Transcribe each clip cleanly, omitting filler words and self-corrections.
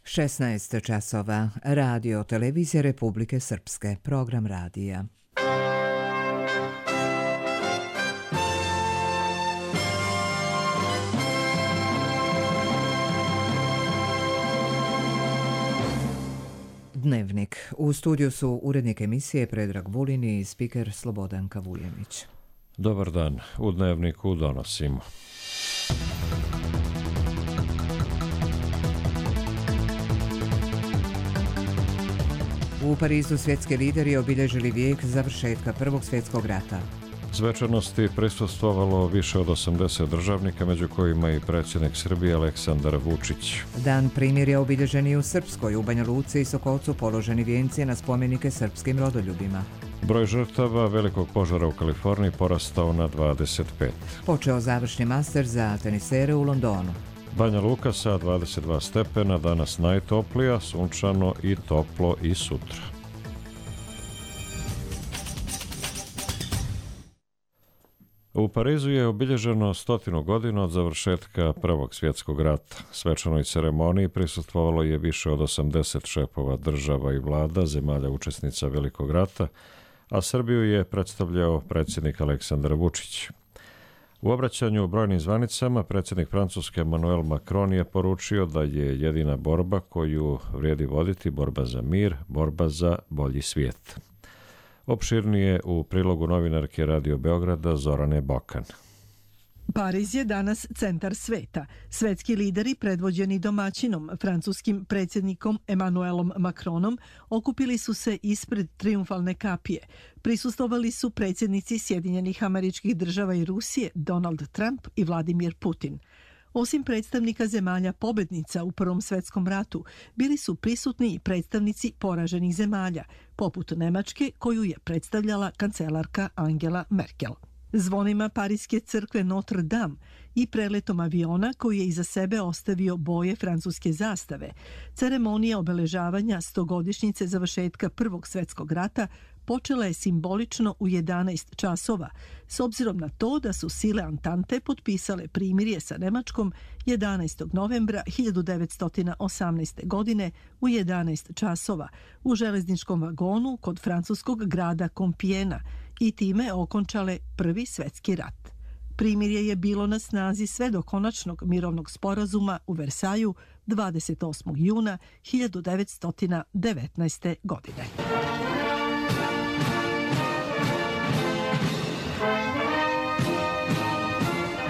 16 časova. Radio Televizija Republike Srpske. Program radija. Dnevnik. U studiju su urednik emisije Predrag Vulin i spiker Slobodanka Vuljanić. Dobar dan. U Dnevniku donosimo. U Parizu svjetski lideri obilježili vijek završetka Prvog svjetskog rata. Svečanosti prisustvovalo više od 80 državnika, među kojima i predsjednik Srbije Aleksandar Vučić. Dan primirja obilježen i u Srpskoj, u Banja Luci i Sokolcu položeni vijenci na spomenike srpskim rodoljubima. Broj žrtava velikog požara u Kaliforniji porastao na 25. Počeo završni master za tenisere u Londonu. Banja Luka sa 22 stepena, danas najtoplija, sunčano i toplo i sutra. U Parizu je obilježeno 100 godina od završetka Prvog svjetskog rata. Svečanoj ceremoniji prisustvovalo je više od 80 šefova država i vlada, zemalja učesnica Velikog rata, a Srbiju je predstavljao predsjednik Aleksandar Vučić. U obraćanju brojnim zvanicama predsjednik Francuske Emmanuel Macron je poručio da je jedina borba koju vrijedi voditi borba za mir, borba za bolji svijet. Opširnije u prilogu novinarke Radio Beograda Zorane Bokan. Pariz je danas centar sveta. Svetski lideri predvođeni domaćinom, francuskim predsjednikom Emmanuelom Macronom, okupili su se ispred trijumfalne kapije. Prisustvovali su predsjednici Sjedinjenih Američkih Država i Rusije Donald Trump i Vladimir Putin. Osim predstavnika zemalja pobednica u Prvom svjetskom ratu, bili su prisutni i predstavnici poraženih zemalja, poput Nemačke koju je predstavljala kancelarka Angela Merkel. Zvonima Pariske crkve Notre Dame i preletom aviona koji je iza sebe ostavio boje francuske zastave, ceremonija obeležavanja 100-godišnjice završetka Prvog svjetskog rata počela je simbolično u 11 časova, s obzirom na to da su sile Antante potpisale primirje sa Nemačkom 11. novembra 1918. godine u 11 časova u železničkom vagonu kod francuskog grada Kompijena i time okončale Prvi svjetski rat. Primirje je bilo na snazi sve do konačnog mirovnog sporazuma u Versaju 28. juna 1919. godine.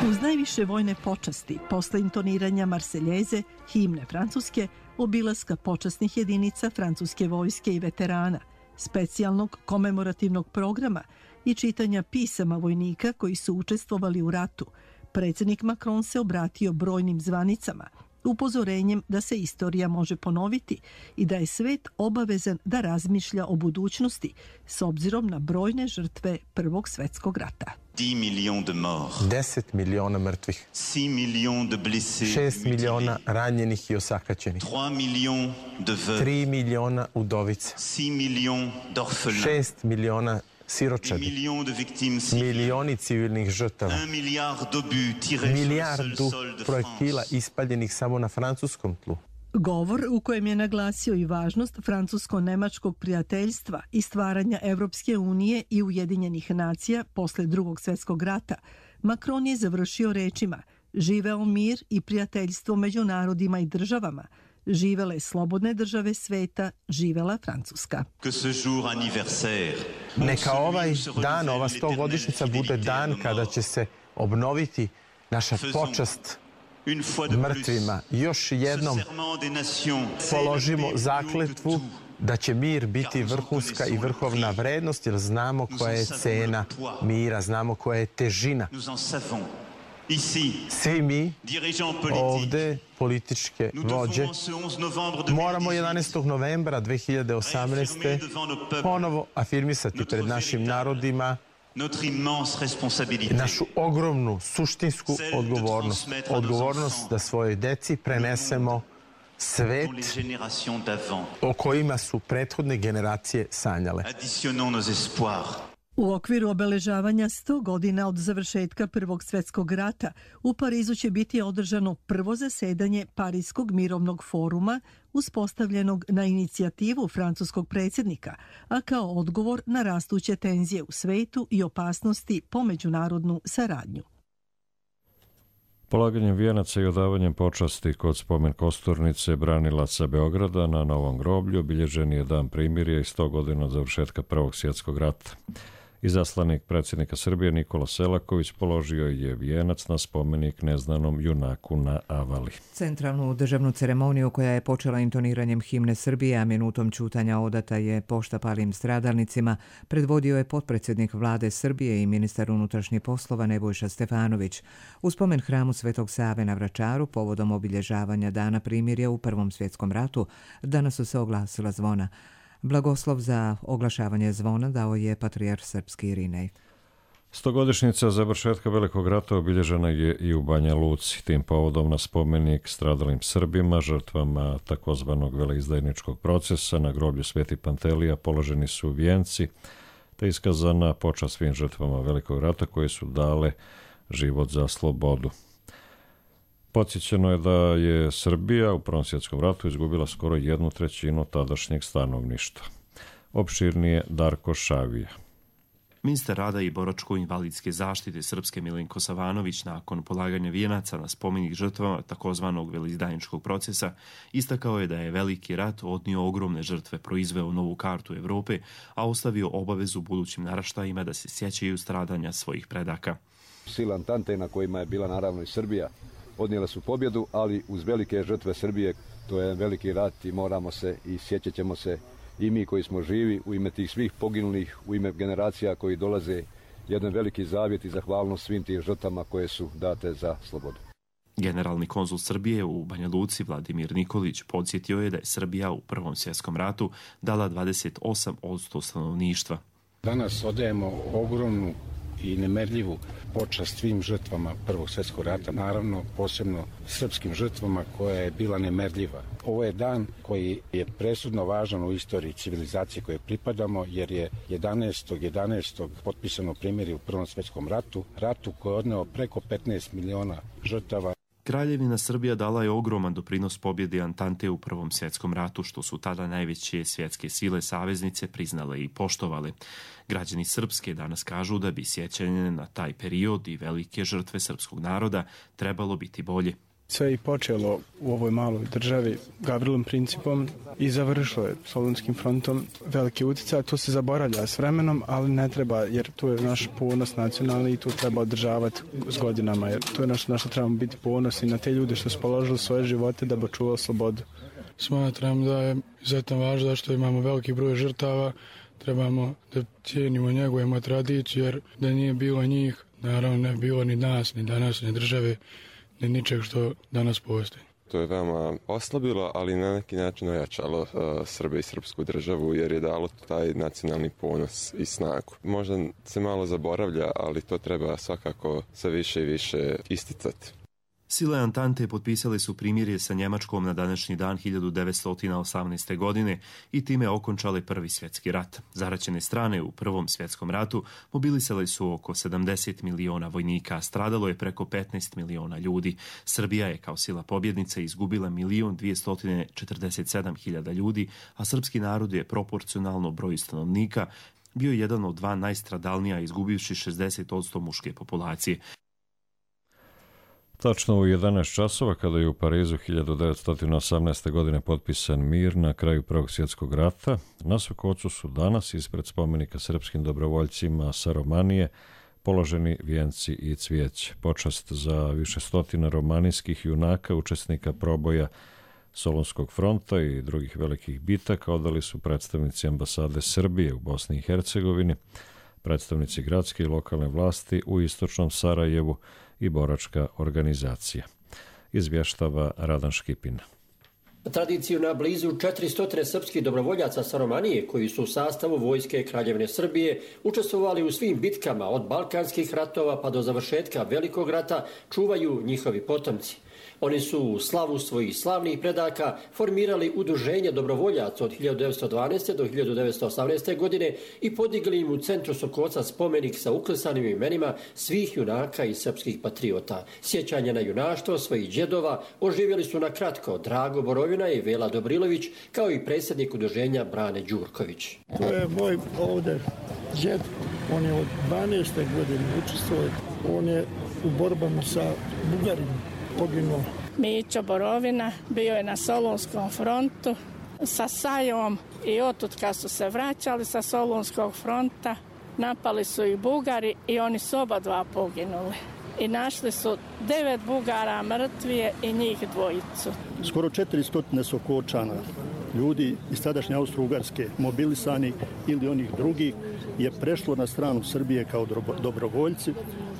Uz najviše vojne počasti, posle intoniranja Marseljeze, himne Francuske, obilaska počasnih jedinica francuske vojske i veterana, specijalnog komemorativnog programa i čitanja pisama vojnika koji su učestvovali u ratu, predsjednik Macron se obratio brojnim zvanicama, upozorenjem da se istorija može ponoviti i da je svet obavezan da razmišlja o budućnosti s obzirom na brojne žrtve Prvog svjetskog rata. 10 miliona mrtvih, 6 miliona ranjenih i osakaćenih, 3 miliona udovica, 6 miliona siročadi, milioni civilnih žrtava, milijardu projektila ispaljenih samo na francuskom tlu. Govor u kojem je naglasio i važnost francusko-nemačkog prijateljstva i stvaranja Evropske unije i Ujedinjenih nacija posle Drugog svjetskog rata, Macron je završio rečima: živeo mir i prijateljstvo među narodima i državama, živele slobodne države sveta, živela Francuska. Neka ovaj dan, ova 100-godišnjica bude dan kada će se obnoviti naša počast mrtvima. Još jednom položimo zakletvu da će mir biti vrhunska i vrhovna vrednost, jer znamo koja je cena mira, znamo koja je težina. Svi mi ovde, političke vođe, moramo 11. novembra 2018. ponovo afirmisati pred našim narodima našu ogromnu, suštinsku odgovornost. Odgovornost da svojoj deci prenesemo svet o kojima su prethodne generacije sanjale. U okviru obeležavanja 100 godina od završetka Prvog svjetskog rata u Parizu će biti održano prvo zasedanje Parijskog mirovnog foruma uspostavljenog na inicijativu francuskog predsjednika, a kao odgovor na rastuće tenzije u svetu i opasnosti po međunarodnu saradnju. Polaganjem vijenaca i odavanjem počasti kod spomen kosturnice branilaca Beograda na Novom groblju obilježen je dan primirja i 100 godina od završetka Prvog svjetskog rata. Izaslanik predsjednika Srbije Nikola Selaković položio je vijenac na spomenik neznanom junaku na Avali. Centralnu državnu ceremoniju koja je počela intoniranjem himne Srbije, a minutom ćutanja odata je pošta palim stradalnicima, predvodio je potpredsjednik vlade Srbije i ministar unutrašnjih poslova Nebojša Stefanović. U spomen hramu Svetog Save na Vračaru, povodom obilježavanja dana primirja u Prvom svjetskom ratu, danas su se oglasila zvona. Blagoslov za oglašavanje zvona dao je patrijarh srpski Irinej. 100-godišnjica završetka Velikog rata obilježena je i u Banja Luci. Tim povodom na spomenik stradalim Srbima, žrtvama takozvanog veleizdajničkog procesa na groblju Sveti Pantelija položeni su vijenci, te iskazana počast svim žrtvama Velikog rata koje su dale život za slobodu. Podsjećeno je da je Srbija u Prvom svjetskom ratu izgubila skoro 1/3 tadašnjeg stanovništva. Opširnije Darko Šavija. Ministar rada i boračko-invalidske zaštite Srpske Milenko Savanović nakon polaganja vijenaca na spomenik žrtvama takozvanog veleizdajničkog procesa istakao je da je Veliki rat odnio ogromne žrtve, proizveo novu kartu Evrope, a ostavio obavezu budućim naraštajima da se sjećaju stradanja svojih predaka. Sile Antante na kojima je bila naravno i Srbija odnijele su pobjedu, ali uz velike žrtve Srbije, to je veliki rat i moramo se i sjećat ćemo se i mi koji smo živi u ime tih svih poginulih, u ime generacija koji dolaze, jedan veliki zavjet i zahvalnost svim tim žrtvama koje su date za slobodu. Generalni konzul Srbije u Banja Luci Vladimir Nikolić podsjetio je da je Srbija u Prvom svjetskom ratu dala 28% stanovništva. Danas odajemo ogromnu i nemerljivu počast svim žrtvama Prvog svjetskog rata, naravno posebno srpskim žrtvama koja je bila nemerljiva. Ovo je dan koji je presudno važan u istoriji civilizacije koje pripadamo, jer je 11. potpisano primirje u Prvom svjetskom ratu koji je odneo preko 15 miliona žrtava. Kraljevina Srbija dala je ogroman doprinos pobjedi Antante u Prvom svjetskom ratu, što su tada najveće svjetske sile saveznice priznale i poštovale. Građani Srpske danas kažu da bi sjećanje na taj period i velike žrtve srpskog naroda trebalo biti bolje. Sve je počelo u ovoj maloj državi Gavrilom principom i završilo je Solunskim frontom. Veliki utjecaj, to se zaboravlja s vremenom, ali ne treba, jer to je naš ponos nacionalni i to treba održavati s godinama, jer to je naš trebamo biti ponosni na te ljude što su položili svoje živote da bi očuvali slobodu. Smatram da je izuzetno važno što imamo veliki broj žrtava, trebamo da cijenimo, njegujemo tradiciju, jer da nije bilo njih, naravno ne bi bilo ni nas, ni danas, ni države, ni ničeg što danas postoji. To je veoma oslabilo, ali na neki način ojačalo Srbe i srpsku državu, jer je dalo taj nacionalni ponos i snagu. Možda se malo zaboravlja, ali to treba svakako sve više i više isticati. Sile Antante potpisale su primirje sa Njemačkom na današnji dan 1918. godine i time okončale Prvi svjetski rat. Zaraćene strane u Prvom svjetskom ratu mobilisale su oko 70 miliona vojnika, stradalo je preko 15 miliona ljudi. Srbija je kao sila pobjednice izgubila 1.247.000 ljudi, a srpski narod je proporcionalno broju stanovnika bio jedan od dva najstradalnija, izgubivši 60% muške populacije. Tačno u 11 časova, kada je u Parizu 1918. godine potpisan mir na kraju Prvog svjetskog rata, na Sokocu su danas ispred spomenika srpskim dobrovoljcima sa Romanije položeni vijenci i cvijeće. Počast za više stotina romanijskih junaka, učesnika proboja Solunskog fronta i drugih velikih bitaka odali su predstavnici ambasade Srbije u Bosni i Hercegovini, predstavnici gradske i lokalne vlasti u istočnom Sarajevu i boračka organizacija. Izvještava Radan Škipin. Tradiciju na blizu 400 srpskih dobrovoljaca sa Romanije, koji su u sastavu vojske Kraljevine Srbije učestvovali u svim bitkama od balkanskih ratova pa do završetka Velikog rata, čuvaju njihovi potomci. Oni su u slavu svojih slavnih predaka formirali udruženje dobrovoljaca od 1912. do 1918. godine i podigli im u centru Sokoca spomenik sa uklesanim imenima svih junaka i srpskih patriota. Sjećanje na junaštvo svojih džedova oživjeli su na kratko Drago Borovina i Vela Dobrilović, kao i predsjednik udruženja Brane Đurković. To je moj ovdje džed, on je od 12. godine učestvovao, on je u borbama sa Bugarima poginuo. Mićo Borovina bio je na Solunskom frontu sa Sajom i otud kad su se vraćali sa Solunskog fronta, napali su ih Bugari i oni su oba dva poginuli. I našli su 9 Bugara mrtvije i njih dvojicu. Skoro 400 Sokočana, ljudi iz tadašnje Austro-Ugarske, mobilisani ili onih drugih, je prešlo na stranu Srbije kao dobrovoljci.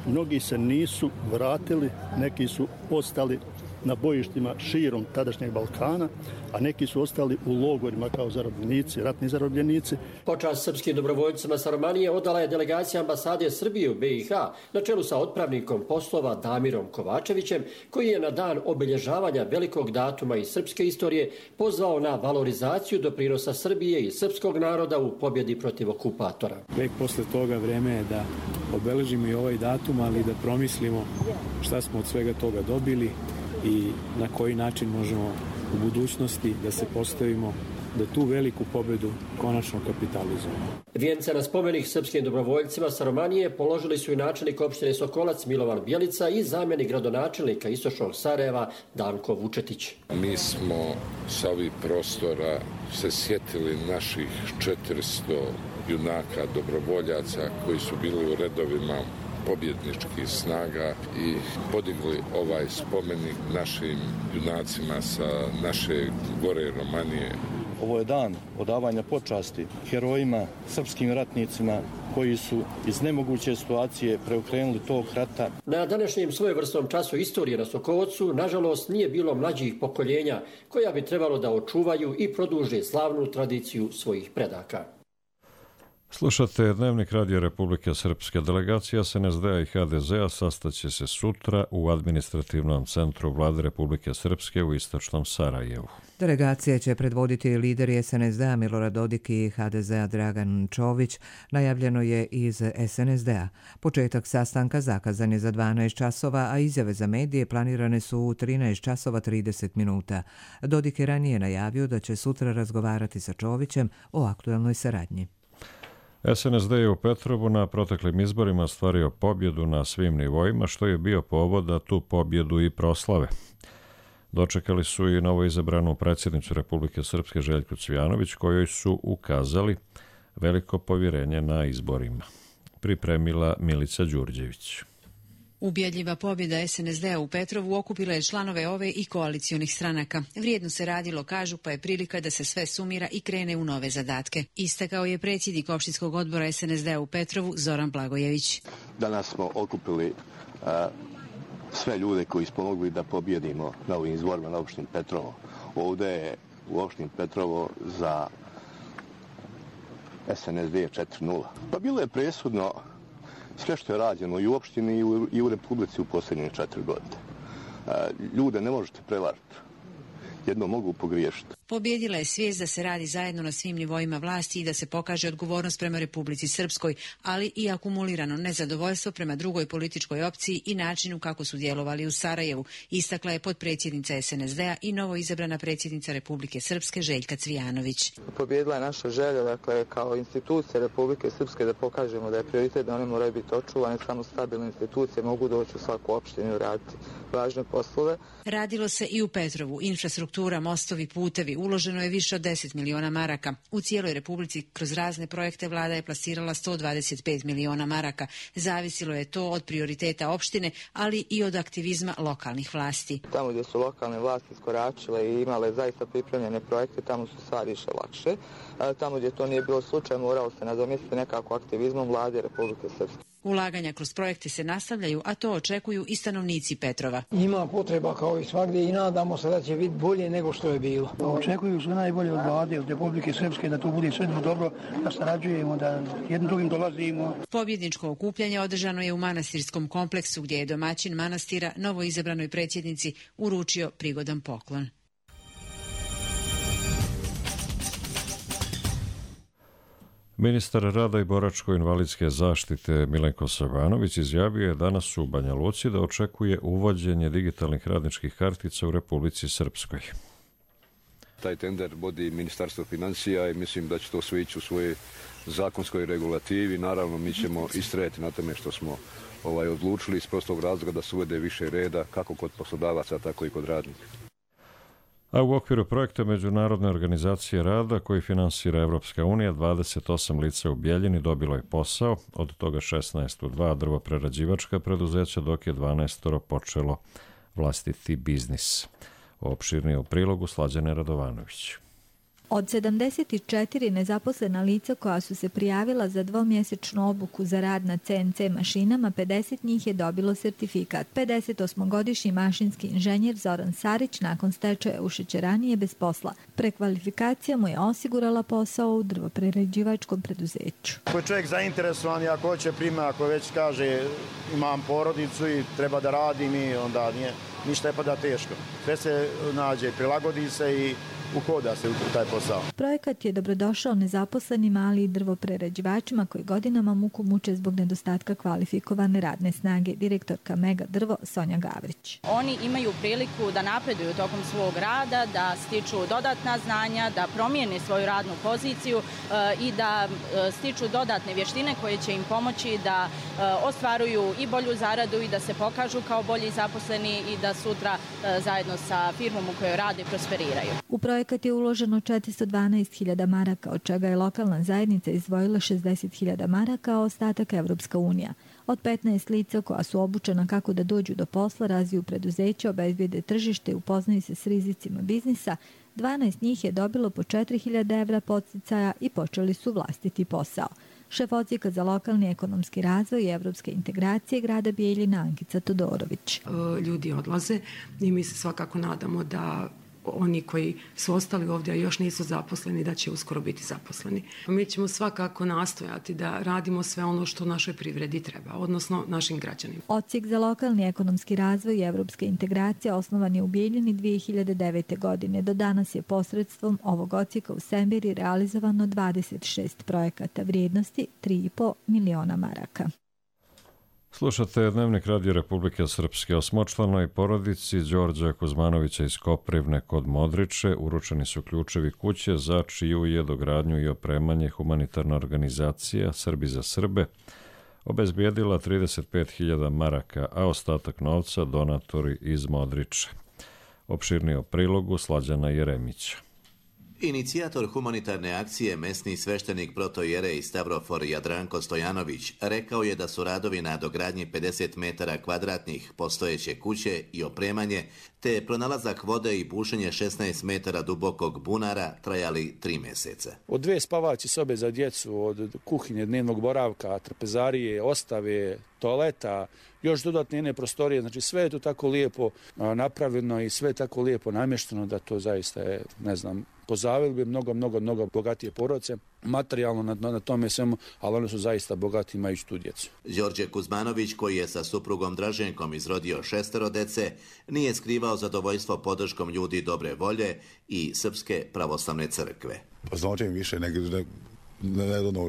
Mnogi se nisu vratili, neki su ostali na bojištima širom tadašnjeg Balkana, a neki su ostali u logorima kao zarobljenici, ratni zarobljenici. Počast srpskim dobrovoljcima sa Romanije odala je delegacija ambasade Srbije u BiH na čelu sa otpravnikom poslova Damirom Kovačevićem, koji je na dan obilježavanja velikog datuma iz srpske istorije pozvao na valorizaciju doprinosa Srbije i srpskog naroda u pobjedi protiv okupatora. Vek posle toga vreme je da obeležimo i ovaj datum, ali da promislimo šta smo od svega toga dobili i na koji način možemo u budućnosti da se postavimo da tu veliku pobedu konačno kapitalizujemo. Vijence na spomenik srpskim dobrovoljcima sa Romanije položili su i načelnik opštine Sokolac Milovan Bjelica i zamjenik gradonačelnika istočnog Sarajeva Danko Vučetić. Mi smo sa ovih prostora se sjetili naših 400 junaka dobrovoljaca koji su bili u redovima pobjedničkih snaga i podigli ovaj spomenik našim junacima sa naše gore Romanije. Ovo je dan odavanja počasti herojima, srpskim ratnicima koji su iz nemoguće situacije preokrenuli tog rata. Na današnjem svojevrsnom času istorije na Sokovcu, nažalost, nije bilo mlađih pokoljenja koja bi trebalo da očuvaju i produže slavnu tradiciju svojih predaka. Slušate Dnevnik Radija Republike Srpske. Delegacija SNSD-a i HDZ-a sastaće se sutra u administrativnom centru Vlade Republike Srpske u istočnom Sarajevu. Delegacije će predvoditi lideri SNSD-a Milorad Dodik i HDZ-a Dragan Čović, najavljeno je iz SNSD-a. Početak sastanka zakazan je za 12 časova, a izjave za medije planirane su u 13 časova 30 minuta. Dodik je ranije najavio da će sutra razgovarati sa Čovićem o aktuelnoj saradnji. SNSD je u Petrovu na proteklim izborima ostvario pobjedu na svim nivoima, što je bio povod da tu pobjedu i proslave. Dočekali su i novoizabranu predsjednicu Republike Srpske Željku Cvijanović, kojoj su ukazali veliko povjerenje na izborima. Pripremila Milica Đurđević. Ubjedljiva pobjeda SNSD-a u Petrovu okupila je članove ove i koalicionih stranaka. Vrijedno se radilo, kažu, pa je prilika da se sve sumira i krene u nove zadatke. Istakao je predsjednik opštinskog odbora SNSD-a u Petrovu Zoran Blagojević. Danas smo okupili sve ljude koji smo mogli da pobjedimo na ovim izborima na opštini Petrovo. Ovdje je u opštini Petrovo za SNSD 4:0. Pa bilo je presudno sve što je rađeno i u opštini i u Republici u posljednje 4 godine. Ljude ne možete prevariti. Jedno mogu pogriješiti. Pobjedila je svijest da se radi zajedno na svim nivoima vlasti i da se pokaže odgovornost prema Republici Srpskoj, ali i akumulirano nezadovoljstvo prema drugoj političkoj opciji i načinu kako su djelovali u Sarajevu, istakla je potpredsjednica SNSD-a i novoizabrana predsjednica Republike Srpske Željka Cvijanović. Pobjedila je naša želja, dakle, kao institucija Republike Srpske da pokažemo da je prioritet da one moraju biti očuvane, samo stabilne institucije mogu doći u svaku opštinu i raditi važne poslove. Radilo se i u Petrovu. Infrastruktura, mostovi, putevi, uloženo je više od 10 miliona maraka. U cijeloj Republici kroz razne projekte vlada je plasirala 125 miliona maraka. Zavisilo je to od prioriteta opštine, ali i od aktivizma lokalnih vlasti. Tamo gdje su lokalne vlasti skoračile i imale zaista pripremljene projekte, tamo su stvari išle lakše. Tamo gdje to nije bilo slučaj, moralo se nadomjestiti nekako aktivizmom vlade Republike Srpske. Ulaganja kroz projekte se nastavljaju, a to očekuju i stanovnici Petrova. Ima potreba kao i svagdje i nadamo se da će biti bolje nego što je bilo. Očekuju sve najbolje od vlade, od Republike Srpske, da to bude sve dobro, da sarađujemo, da jednim drugim dolazimo. Pobjedničko okupljanje održano je u manastirskom kompleksu gdje je domaćin manastira novoizabranoj predsjednici uručio prigodan poklon. Ministar rada i boračko-invalidske zaštite Milenko Savanović izjavio je danas u Banja Luci da očekuje uvođenje digitalnih radničkih kartica u Republici Srpskoj. Taj tender vodi Ministarstvo financija i mislim da će to sve ići u svojoj zakonskoj regulativi. Naravno, mi ćemo istrajati na tome što smo odlučili iz prostog razloga da se uvede više reda kako kod poslodavaca, tako i kod radnika. A u okviru projekta Međunarodne organizacije rada koji finansira Evropska unija, 28 lica u Bijeljini dobilo je posao, od toga 16 u 2 drvoprerađivačka preduzeća, dok je 12 počelo vlastiti biznis. Opširnije u prilogu Slađane Radovanović. Od 74 nezaposlena lica koja su se prijavila za dvomjesečnu obuku za rad na CNC mašinama, 50 njih je dobilo sertifikat. 58-godišnji mašinski inženjer Zoran Sarić nakon stečaja u šećerani je bez posla. Prekvalifikacija mu je osigurala posao u drvoprerađivačkom preduzeću. Ako je čovjek zainteresovan i ako hoće prima, ako već kaže imam porodicu i treba da radim i onda nije ništa je pa da teško. Sve se nađe, prilagodi se i uhoda se u taj posao. Projekat je dobrodošao nezaposlenima, ali i drvoprerađivačima koji godinama muku muče zbog nedostatka kvalifikovane radne snage. Direktorka Mega Drvo Sonja Gavrić. Oni imaju priliku da napreduju tokom svog rada, da stiču dodatna znanja, da promijene svoju radnu poziciju i da stiču dodatne vještine koje će im pomoći da ostvaruju i bolju zaradu i da se pokažu kao bolji zaposleni i da sutra zajedno sa firmom u kojoj rade prosperiraju. U projekat je uloženo 412.000 maraka, od čega je lokalna zajednica izdvojila 60.000 maraka, a ostatak Evropska unija. Od 15 lica koja su obučena kako da dođu do posla, razviju preduzeća, obezbijede tržište i upoznaju se s rizicima biznisa, 12 njih je dobilo po 4.000 evra podsticaja i počeli su vlastiti posao. Šef odsjeka za lokalni ekonomski razvoj i evropske integracije grada Bijeljina Ankica Todorović. Ljudi odlaze i mi se svakako nadamo da oni koji su ostali ovdje, a još nisu zaposleni, da će uskoro biti zaposleni. Mi ćemo svakako nastojati da radimo sve ono što našoj privredi treba, odnosno našim građanima. Odsjek za lokalni ekonomski razvoj i evropske integracije osnovan je u Bijeljini 2009. godine. Do danas je posredstvom ovog odsjeka u Sembiri realizovano 26 projekata vrijednosti 3,5 miliona maraka. Slušate Dnevnik Radio Republike Srpske. Osmočlanoj porodici Đorđa Kuzmanovića iz Koprivne kod Modriče uručeni su ključevi kuće za čiju je dogradnju i opremanje humanitarna organizacija Srbi za Srbe obezbijedila 35.000 maraka, a ostatak novca donatori iz Modriče. Opširnije o prilogu Slađana Jeremića. Inicijator humanitarne akcije, mesni sveštenik protojerej Stavrofor Jadranko Stojanović, rekao je da su radovi na dogradnji 50 metara kvadratnih postojeće kuće i opremanje, te pronalazak vode i bušenje 16 metara dubokog bunara trajali 3 mjeseca. Od 2 spavaće sobe za djecu, od kuhinje, dnevnog boravka, trpezarije, ostave, toaleta, još dodatne jedne prostorije, znači sve je to tako lijepo napravljeno i sve je tako lijepo namješteno da to zaista je, ne znam, pozavili bi mnogo bogatije porodice, materijalno na tome svemu, ali oni su zaista bogati imajući tu djecu. Đorđe Kuzmanović, koji je sa suprugom Draženkom izrodio 6 dece, nije skrivao zadovoljstvo podrškom ljudi dobre volje i Srpske pravoslavne crkve. Pa znači više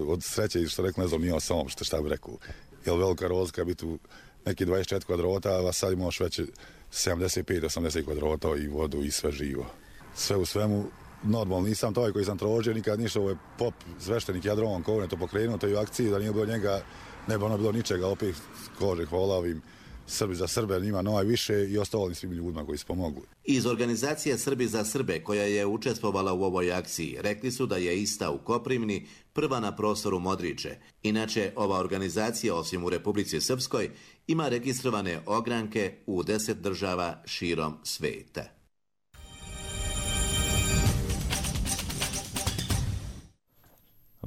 od sreće što rekao, ne znam, nije samo šta bi rekao. Jer velika rozlika biti u neki 24 kvadrata, a sad imaš već 75-80 kvadrata i vodu i sve živo. Sve u svemu, normalno, nisam taj koji sam trožio, nikad ništa, ovo je pop sveštenik Jadrovan Kovne to pokrenuo, to je u akciji, da nije bilo njega, ne bi ono bilo ničega, opet kože hvala ovim Srbi za Srbe, njima najviše i ostalim svim ljudima koji su pomogli. Iz organizacije Srbi za Srbe, koja je učestvovala u ovoj akciji, rekli su da je ista u Koprivni prva na prostoru Modriče. Inače, ova organizacija, osim u Republici Srpskoj, ima registrovane ogranke u 10 država širom sveta.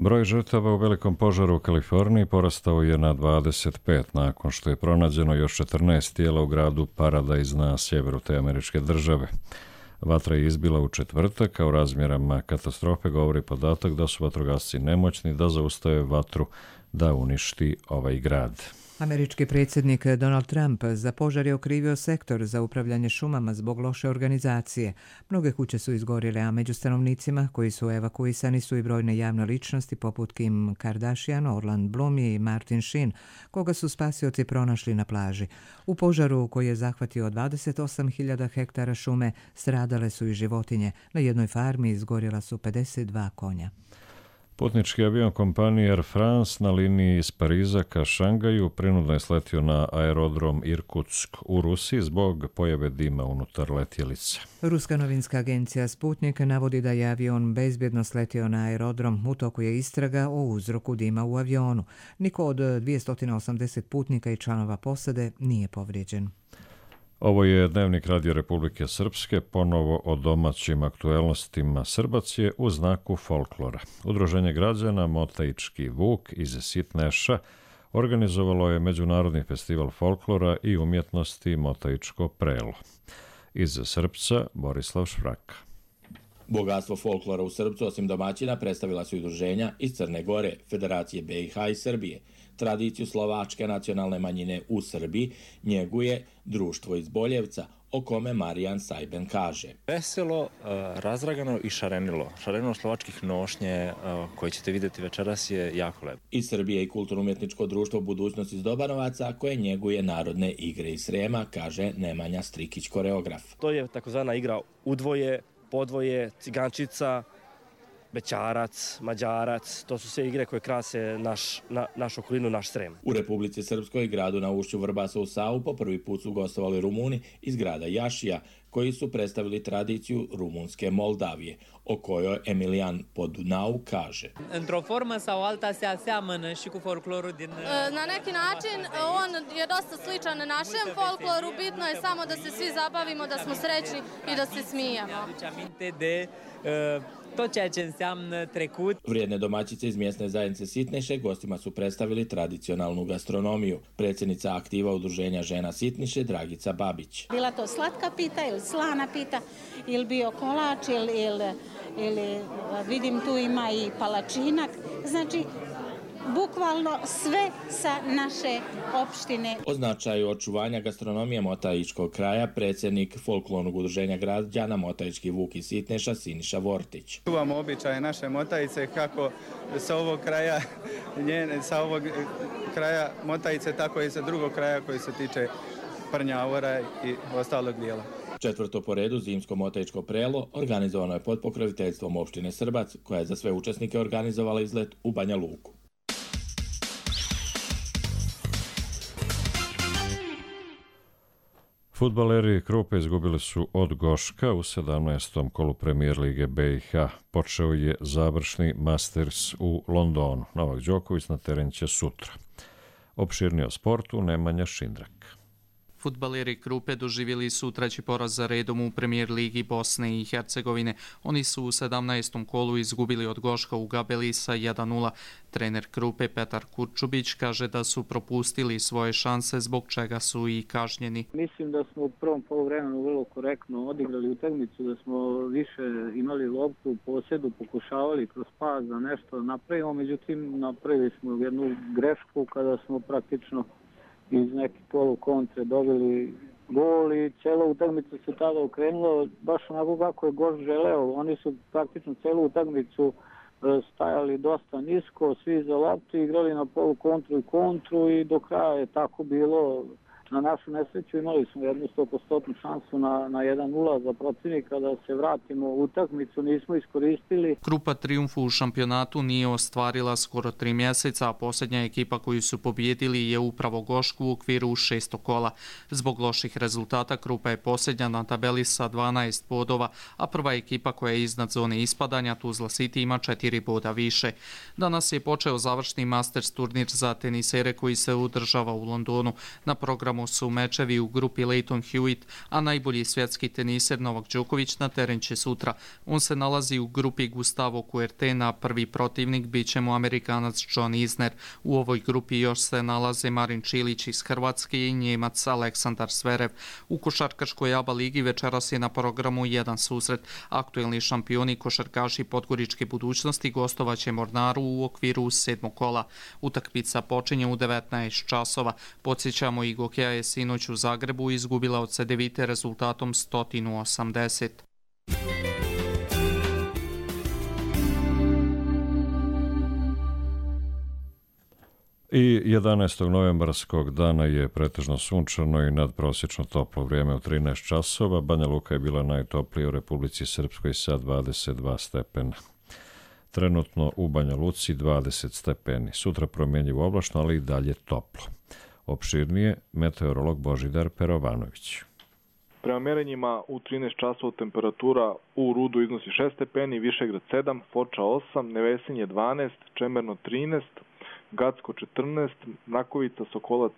Broj žrtava u velikom požaru u Kaliforniji porastao je na 25 nakon što je pronađeno još 14 tijela u gradu Paradise na sjeveru te američke države. Vatra je izbila u četvrtak, a u razmjerama katastrofe govori podatak da su vatrogasci nemoćni da zaustave vatru da uništi ovaj grad. Američki predsjednik Donald Trump za požar je okrivio sektor za upravljanje šumama zbog loše organizacije. Mnoge kuće su izgorjele, a među stanovnicima koji su evakuisani su i brojne javne ličnosti poput Kim Kardashian, Orlando Bloom i Martin Sheen, koga su spasioci pronašli na plaži. U požaru koji je zahvatio 28.000 hektara šume stradale su i životinje. Na jednoj farmi izgorjela su 52 konja. Putnički avion kompanije Air France na liniji iz Pariza ka Šangaju prinudno je sletio na aerodrom Irkutsk u Rusiji zbog pojave dima unutar letjelice. Ruska novinska agencija Sputnik navodi da je avion bezbjedno sletio na aerodrom. U toku je istraga o uzroku dima u avionu. Niko od 280 putnika i članova posade nije povrijeđen. Ovo je Dnevnik Radio Republike Srpske, ponovo o domaćim aktuelnostima. Srbac je u znaku folklora. Udruženje građana Motajički Vuk iz Sitneša organizovalo je Međunarodni festival folklora i umjetnosti Motajičko prelo. Iz Srpca Borislav Švraka. Bogatstvo folklora u Srpcu, osim domaćina, predstavila su udruženja iz Crne Gore, Federacije BiH i Srbije. Tradiciju slovačke nacionalne manjine u Srbiji njeguje društvo iz Boljevca, o kome Marijan Sajben kaže. Veselo, razragano i šarenilo. Šarenilo slovačkih nošnje koje ćete vidjeti večeras je jako lepo. Iz Srbije i kulturno-umjetničko društvo Budućnost iz Dobanovaca koje njeguje narodne igre iz Srema, kaže Nemanja Strikić, koreograf. To je takozvana igra udvoje, podvoje, cigančica, bećarac, mađarac, to su sve igre koje krase našu okolinu, naš Srem. U Republici Srpskoj, gradu na ušću Vrbasa u Savu, po prvi put su gostovali Rumuni iz grada Jašija, koji su predstavili tradiciju rumunske Moldavije, o kojoj Emilian Podunau kaže. Într-o formă sau alta se aseamănă și cu folclorul din... Na neki način on je dosta sličan našem folkloru, bitno je samo da se svi zabavimo, da smo srećni i da se smijemo. Aduce aminte de tot ceea ce înseamnă trecut. Vrijedne domaćice iz mjesne zajednice Sitneše gostima su predstavili tradicionalnu gastronomiju. Predsjednica aktiva udruženja žena Sitniše Dragica Babić. Bila to slatka pita ili slana pita ili bio kolač ili vidim tu ima i palačinak. Znači, bukvalno sve sa naše opštine. O značaju očuvanja gastronomije Motajičkog kraja predsjednik folklornog udruženja građana Motajički Vuk iz Sitneša Siniša Vortić. Čuvamo običaje naše Motajice kako sa ovog kraja Motajice, tako i sa drugog kraja koji se tiče Prnjavora i ostalog dijela. Četvrto po redu zimsko Motajičko prelo organizovano je pod pokroviteljstvom opštine Srbac, koja je za sve učesnike organizovala izlet u Banja Luku. Fudbaleri Krupe izgubili su od Goška u 17. kolu Premier Lige BiH. Počeo je završni Masters u Londonu. Novak Đoković na teren će sutra. Opširnije o sportu Nemanja Šindrak. Fudbaleri Krupe doživjeli su treći poraz za redom u Premier Ligi Bosne i Hercegovine. Oni su u 17. kolu izgubili od Goška u Gabeli sa 1:0. Trener Krupe Petar Kurčubić kaže da su propustili svoje šanse, zbog čega su i kažnjeni. Mislim da smo u prvom poluvremenu vrlo korektno odigrali utakmicu, da smo više imali loptu u posjedu, pokušavali kroz pas da nešto napravimo, međutim napravili smo jednu grešku kada smo praktično iz neke polukontre dobili gol i cijela utakmica se tada okrenula baš onako kako je Goš želeo. Oni su praktično cijelu utakmicu stajali dosta nisko, svi za loptu, igrali na polukontru i kontru i do kraja je tako bilo. Na našu nesreću imali smo jednu 100% šansu na 1:0 za protivnika da se vratimo u utakmicu, nismo iskoristili. Krupa triumfu u šampionatu nije ostvarila skoro 3 mjeseca, a posljednja ekipa koju su pobjedili je upravo Gošku u okviru 6. kola. Zbog loših rezultata Krupa je posljednja na tabeli sa 12 bodova, a prva ekipa koja je iznad zone ispadanja, Tuzla City, ima 4 boda više. Danas je počeo završni Masters turnir za tenisere koji se održava u Londonu. Na programu tamo su mečevi u grupi Leighton Hewitt, a najbolji svjetski teniser Novak Đoković na teren će sutra. On se nalazi u grupi Gustavo Kuertena, prvi protivnik bit će mu Amerikanac John Isner. U ovoj grupi još se nalaze Marin Čilić iz Hrvatske i Njemac Aleksandar Zverev. U košarkaškoj ABA ligi večeras je na programu jedan susret. Aktuelni šampioni košarkaši Podgoričke budućnosti gostovaće Mornaru u okviru 7. kola. Utakmica počinje u 19 časova. Podsjećamo, i Gokeja je sinoć u Zagrebu izgubila od Cedevite rezultatom 180. I 11. novembarskog dana je pretežno sunčano i nadprosječno toplo vrijeme u 13 časova. Banja Luka je bila najtoplija u Republici Srpskoj sa 22 stepena. Trenutno u Banja Luci 20 stepeni. Sutra promjenjivo oblačno, ali i dalje toplo. Opširnije meteorolog Božidar Perovanović. Prema merenjima u 13 časova temperatura u Rudu iznosi 6 stepeni, Višegrad 7, Foča 8, Nevesinje 12, Čemerno 13, Gacko 14, Mrakovica, Sokolac,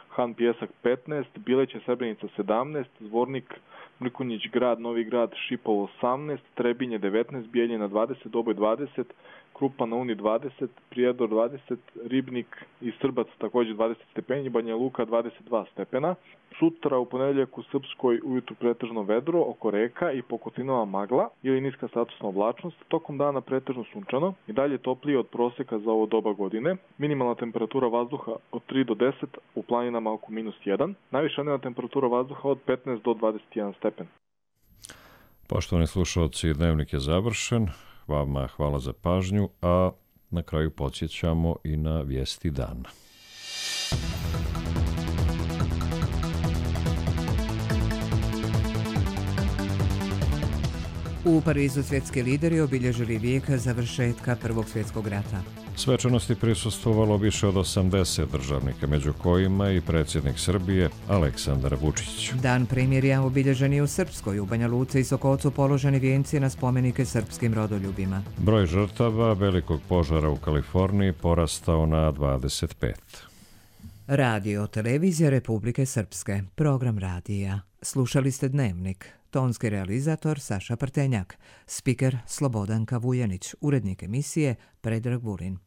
Han Pjesak 15, Bileće, Srebrenica 17, Zvornik, Mrkonjić Grad, Novi Grad, Šipovo 18, Trebinje 19, Bijeljina 20, Doboj 20, Krupa na Uni 20, Prijedor 20, Ribnik i Srbac također 20 stepeni, Banja Luka 22 stepena. Sutra u ponedjeljak u Srpskoj ujutru pretežno vedro oko reka i po Kotinova magla ili niska statusna oblačnost, tokom dana pretežno sunčano i dalje toplije od prosjeka za ovo doba godine. Minimalna temperatura vazduha od 3 do 10, u planinama oko -1, najviša dnevna temperatura vazduha od 15 do 21 stepen. Poštovani slušalci, dnevnik je završen. Vama hvala za pažnju, a na kraju podsjećamo i na vijesti dana. U Parizu svjetski lideri obilježili vijek završetka Prvog svjetskog rata. Svečanosti prisustvovalo više od 80 državnika, među kojima i predsjednik Srbije Aleksandar Vučić. Dan primirja obilježen je u Srpskoj, u Banja Luci i Sokolcu položeni vijenci na spomenike srpskim rodoljubima. Broj žrtava velikog požara u Kaliforniji porastao na 25. Radio Televizija Republike Srpske, program radija. Slušali ste Dnevnik. Tonski realizator Saša Prtenjak, spiker Slobodanka Vujanić, urednik emisije Predrag Vulin.